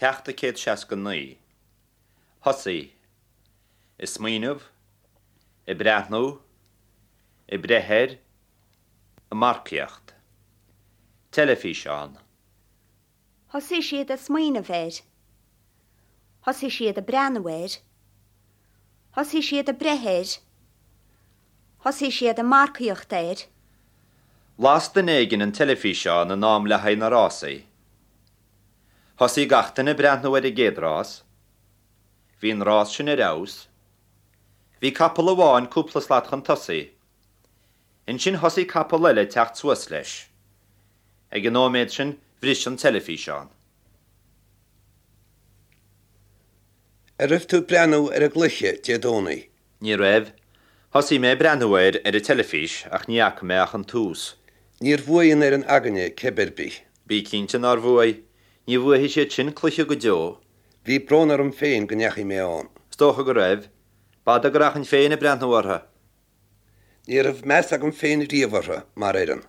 Ceacht 169. Thosaigh. Ag smaoineamh. Ag breathnú. Ag breith air. Ag marcaíocht. Teilifíseán. Thosaigh siad ag smaoineamh air. Thosaigh siad ag breathnú air. Thosaigh siad ag breith air. Thosaigh siad ag marcaíocht air. Las duine éigin an teilifíseán in am le haghaidh na rásaí. Thosaigh gach duine ag breathnú ar an gcéad rás. Bhí an rás sin ar fheabhas. Bhí capall amháin cúpla slat chun tosaigh. Ansin thosaigh capall eile ag teacht suas leis. Ag an nóiméad sin bhris an teilifíseán. An raibh tú ag breathnú ar an gcluiche Dé Domhnaigh? Ní raibh. Thosaigh mé ag breathnú air ar an teilifís ach ní fhaca mé ach an tús. Níor bhuaigh an fhoireann againne cib ar bith. Bí cinnte nár bhuaigh. Ní bhuafaidh siad sin cluiche go deo. Bhí brón orm féin go ndeachaigh mé ann. Is dócha go raibh. B'fhada go rachainn féin ag breathnú orthu. Ní raibh meas agam féin riamh orthu mar fhoireann.